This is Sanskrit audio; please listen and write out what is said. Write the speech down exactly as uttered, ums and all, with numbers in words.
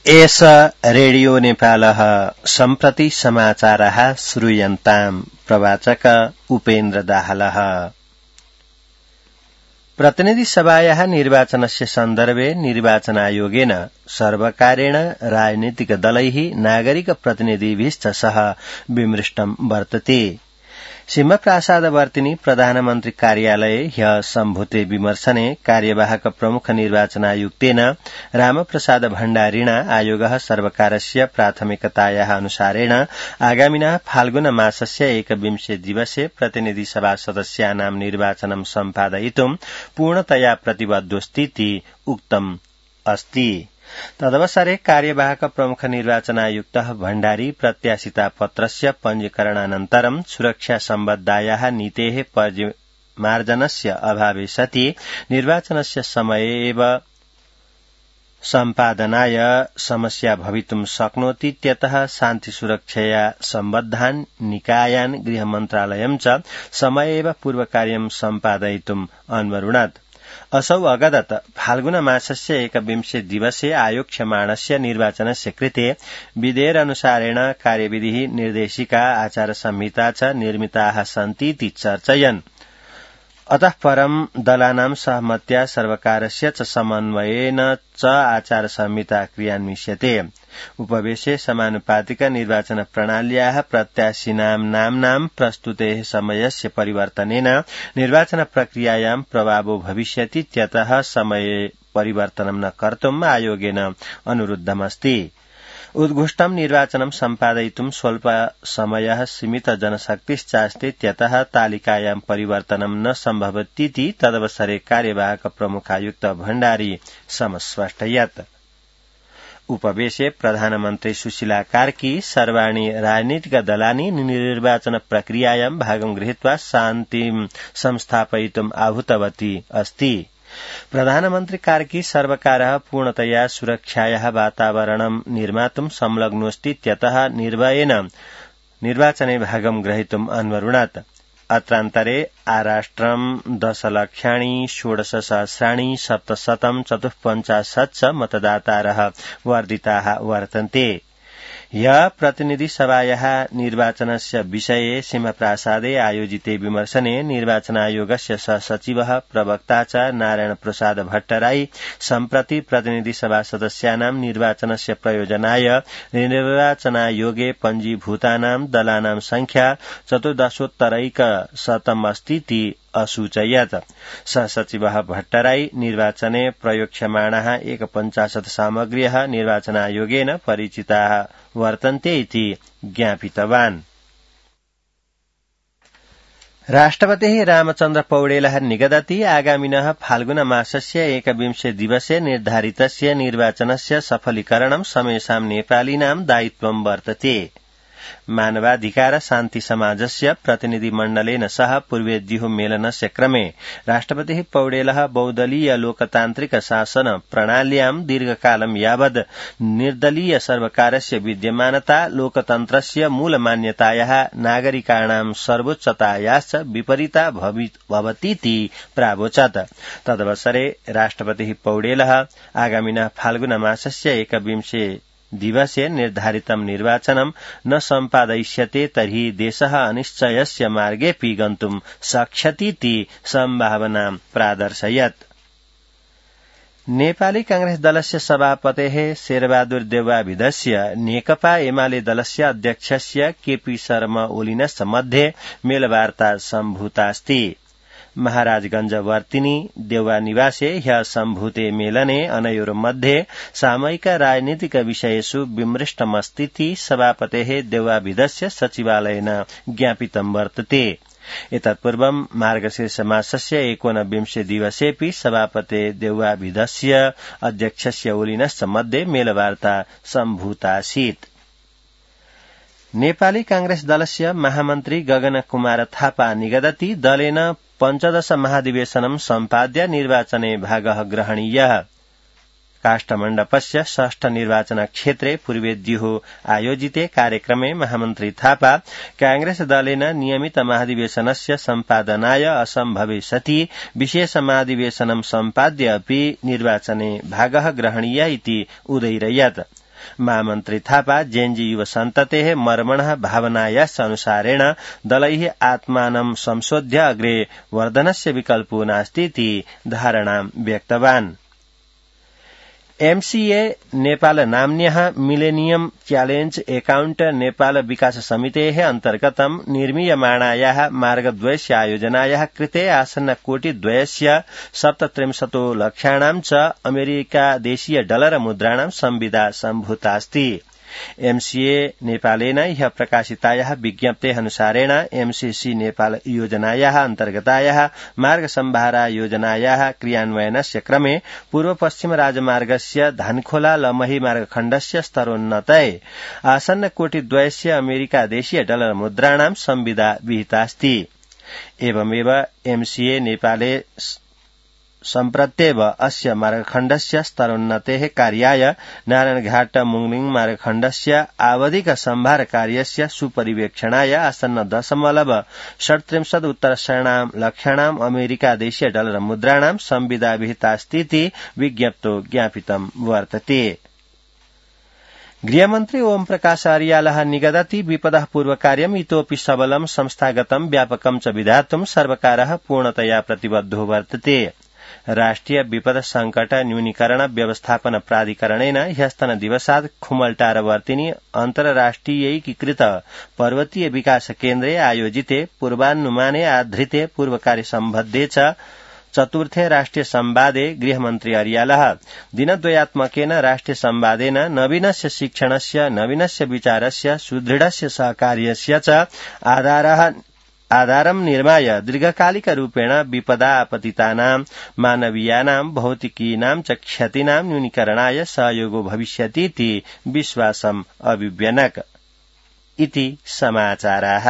एष रेडियो नेपालः सम्प्रति समाचारः श्रूयन्ताम् प्रवाचक उपेन्द्र दाहालः। प्रतिनिधि सभायाः निर्वाचनस्य सन्दर्भे निर्वाचन आयोगेन सर्वकारेण राजनीतिक दलैः नागरिक प्रतिनिधिभिश्च सह विमृष्टं वर्तते। सिंहप्रासादवर्तिनी प्रधानमन्त्री कार्यालये ह्यः सम्भूते विमर्शने कार्यवाहक प्रमुख निर्वाचनायुक्तेन रामप्रसाद भण्डारिणा आयोगः सर्वकारस्य प्राथमिकतायाः अनुसारेण आगामिनः फाल्गुन मासस्य एकविंशे दिवसे प्रतिनिधि सभा सदस्यानां निर्वाचनं सम्पादयितुं पूर्णतया प्रतिबद्धोऽस्तीति उक्तम् अस्ति। तदवसरे कार्यवाहक प्रमुख निर्वाचनायुक्तः भण्डारी प्रत्याशिता पत्रस्य पञ्जीकरणानन्तरं सुरक्षा सम्बद्धायाः नीतेः परिमार्जनस्य अभावे सति निर्वाचनस्य समये एव सम्पादनाय समस्या भवितुं शक्नोतीत्यतः शान्ति सुरक्षया सम्बद्धान् निकायान् गृहमन्त्रालयं च समये एव पूर्वकार्यं सम्पादयितुम् अन्वरुणत्। असौ अगदत फाल्गुन मासस्य एकविंशे दिवसे आयोक्ष्यमाणस्य निर्वाचनस्य कृते विधेयकानुसारेण कार्यविधिः निर्देशिका आचार संहिता च निर्मिताः सन्तीति चर्चयन्। अतः परं दलानां सहमत्या सर्वकारस्य च समन्वयेन च आचार संहिता क्रियान्विष्यते। उपवेशे समानुपातिक निर्वाचन प्रणाल्याः प्रत्याशिनां नाम्नां प्रस्तुतेः समयस्य परिवर्तनेन निर्वाचन प्रक्रियायां प्रभावो भविष्यतीत्यतः समये परिवर्तनं न कर्तुम् आयोगेन अनुरुद्धमस्ति। उद्घुष्टं निर्वाचनं सम्पादयितुं स्वल्प समयः सीमित जनशक्तिश्चास्तीत्यतः तालिकायां परिवर्तनं न सम्भवतीति तदवसरे कार्यवाहक प्रमुखायुक्त भण्डारी समस्पष्टयत्। उपवेशे प्रधानमन्त्री सुशीला कार्की सर्वाणि राजनीतिक दलानि निर्वाचन प्रक्रियायां भागं गृहीत्वा शान्तिं संस्थापयितुम् आहूतवती अस्ति। प्रधानमन्त्री कार्की सर्वकारः पूर्णतया सुरक्षायाः वातावरणं निर्मातुं संलग्नोऽस्तीत्यतः निर्भयेन निर्वाचने भागं ग्रहीतुम् अन्वरुणत्। अत्रान्तरे आराष्ट्रं दशलक्षाणि षोडशसहस्राणि सप्तशतं चतुःपञ्चाशत् च मतदातारः वर्धिताः वर्तन्ते। ह्यः प्रतिनिधि सभायाः निर्वाचनस्य विषये सिंहप्रासादे आयोजिते विमर्शने निर्वाचनायोगस्य सहसचिवः प्रवक्ता च नारायण प्रसाद भट्टराई सम्प्रति प्रतिनिधि सभा सदस्यानां निर्वाचनस्य प्रयोजनाय निर्वाचनायोगे पञ्जीभूतानां दलानां संख्या चतुर्दशोत्तरैकशतम् अस्तीति असूचयत्। सहसचिवः भट्टराई निर्वाचने प्रयोक्ष्यमाणाः एकपञ्चाशत् सामग्र्यः निर्वाचनायोगेन परिचिताः वर्तन्ते इति ज्ञापितवान्। राष्ट्रपतिः रामचन्द्र पौडेलः निगदति आगामिनः फाल्गुन मासस्य एकविंशे दिवसे निर्धारितस्य निर्वाचनस्य सफलीकरणं समेषां नेपालिनां दायित्वं वर्तते। मानवाधिकार शान्ति समाजस्य प्रतिनिधिमण्डलेन सह पूर्वेद्युः मेलनस्य क्रमे राष्ट्रपतिः पौडेलः बहुदलीय लोकतान्त्रिक शासन प्रणाल्यां दीर्घकालं यावद् निर्दलीय सर्वकारस्य विद्यमानता लोकतन्त्रस्य मूलमान्यतायाः नागरिकाणां सर्वोच्चतायाश्च विपरीता भवतीति प्रावोचत्। तदवसरे राष्ट्रपतिः पौडेलः आगामिनः फाल्गुन मासस्य एकविंशे दिवसे निर्धारितं निर्वाचनं न सम्पादयिष्यते तर्हि देशः अनिश्चयस्य मार्गेऽपि गन्तुं शक्ष्यतीति सम्भावनां प्रादर्शयत्। नेपाली कांग्रेस दलस्य सभापतेः शेरबहादुर देउवाविधस्य नेकपा एमाले दलस्य अध्यक्षस्य केपी शर्मा ओलिनश्च मध्ये मेलवार्ता सम्भूतास्ति। महाराजगंज वर्तिनी देउवा निवासे ह्यः सम्भूते मेलने अनयोर्मध्ये सामयिक राजनीतिक विषयेषु विमृष्टमस्तीति सभापतेः देउवाविधस्य सचिवालयेन ज्ञापितं वर्तते। एतत्पूर्वं मार्गशीर्ष मासस्य एकोनविंशे दिवसेऽपि सभापते देउवाविधस्य अध्यक्षस्य ओलिनश्च मध्ये मेलवार्ता सम्भूतासीत्। नेपाली कांग्रेस दलस्य महामन्त्री गगन कुमार थापा निगदति दलेन पञ्चदश महाधिवेशनं सम्पाद्य निर्वाचने भागः ग्रहणीयः। काष्ठमण्डपस्य षष्ठ निर्वाचन क्षेत्रे पूर्वेद्युः आयोजिते कार्यक्रमे महामन्त्री थापा कांग्रेस दलेन नियमित महाधिवेशनस्य सम्पादनाय असम्भवे सति विशेष महाधिवेशनं सम्पाद्य अपि निर्वाचने भागः ग्रहणीय इति उदैरयत्। महामन्त्री थापा जेन्जी युव सन्ततेः मर्मणः भावनायाश्च अनुसारेण दलैः आत्मानं संशोध्य अग्रे वर्धनस्य विकल्पो नास्तीति धारणां व्यक्तवान्। एमसीए नेपाल नाम्न्यः millennium challenge account Nepal Vikas समितेः अन्तर्गतं निर्मीयमाणायाः मार्गद्वयस्य आयोजनायाः कृते आसन्न कोटिद्वयस्य सप्तत्रिंशतो लक्षाणां च अमेरिकादेशीय डलर मुद्राणां संविदा सम्भूतास्ति। एमसीए नेपालेन ह्यः प्रकाशितायाः विज्ञप्तेः अनुसारेण एमसीसी नेपाल योजनायाः अन्तर्गतायाः मार्ग सम्भारा योजनायाः क्रियान्वयनस्य क्रमे पूर्व पश्चिम राजमार्गस्य धनखोला लमही मार्गखण्डस्य स्तरोन्नतये आसन्न कोटिद्वयस्य अमेरिकादेशीय डलर मुद्राणां संविदा विहितास्ति। एवमेव एमसीए नेपाले सम्प्रत्येव अस्य मार्गखण्डस्य स्तरोन्नतेः कार्याय नारायणघाट मुंगलिङ मार्गखण्डस्य आवधिक सम्भार कार्यस्य सुपरिवेक्षणाय आसन्न दशमलव षट्त्रिंशत् उत्तरषणां लक्षाणां अमेरिकादेशीय डलर मुद्राणां संविदा विहितास्तीति विज्ञप्तो ज्ञापितं वर्तते। गृहमन्त्री ओम प्रकाश अर्यालः निगदति विपदः पूर्वकार्यम् इतोऽपि सबलं संस्थागतं व्यापकं च विधातुं सर्वकारः पूर्णतया प्रतिबद्धो वर्तते। राष्ट्रिय विपद संकट न्यूनीकरण व्यवस्थापन प्राधिकरणेन ह्यस्तन दिवसात् खुमलटारवर्तिनि अन्तर्राष्ट्रियैकीकृत पर्वतीय विकास केन्द्रे आयोजिते पूर्वानुमाने आधृते पूर्वकार्य सम्बद्धे च चतुर्थे राष्ट्रिय संवादे गृहमन्त्री अर्यालः दिनद्वयात्मकेन राष्ट्रिय संवादेन नवीनस्य शिक्षणस्य नवीनस्य विचारस्य सुदृढस्य सहकार्यस्य च आधारः आधारं निर्माय दीर्घकालिकरूपेण विपदा आपतितानां मानवीयानां भौतिकीनां च क्षतीनां न्यूनीकरणाय सहयोगो भविष्यतीति विश्वासम् अभिव्यनक। इति समाचाराः।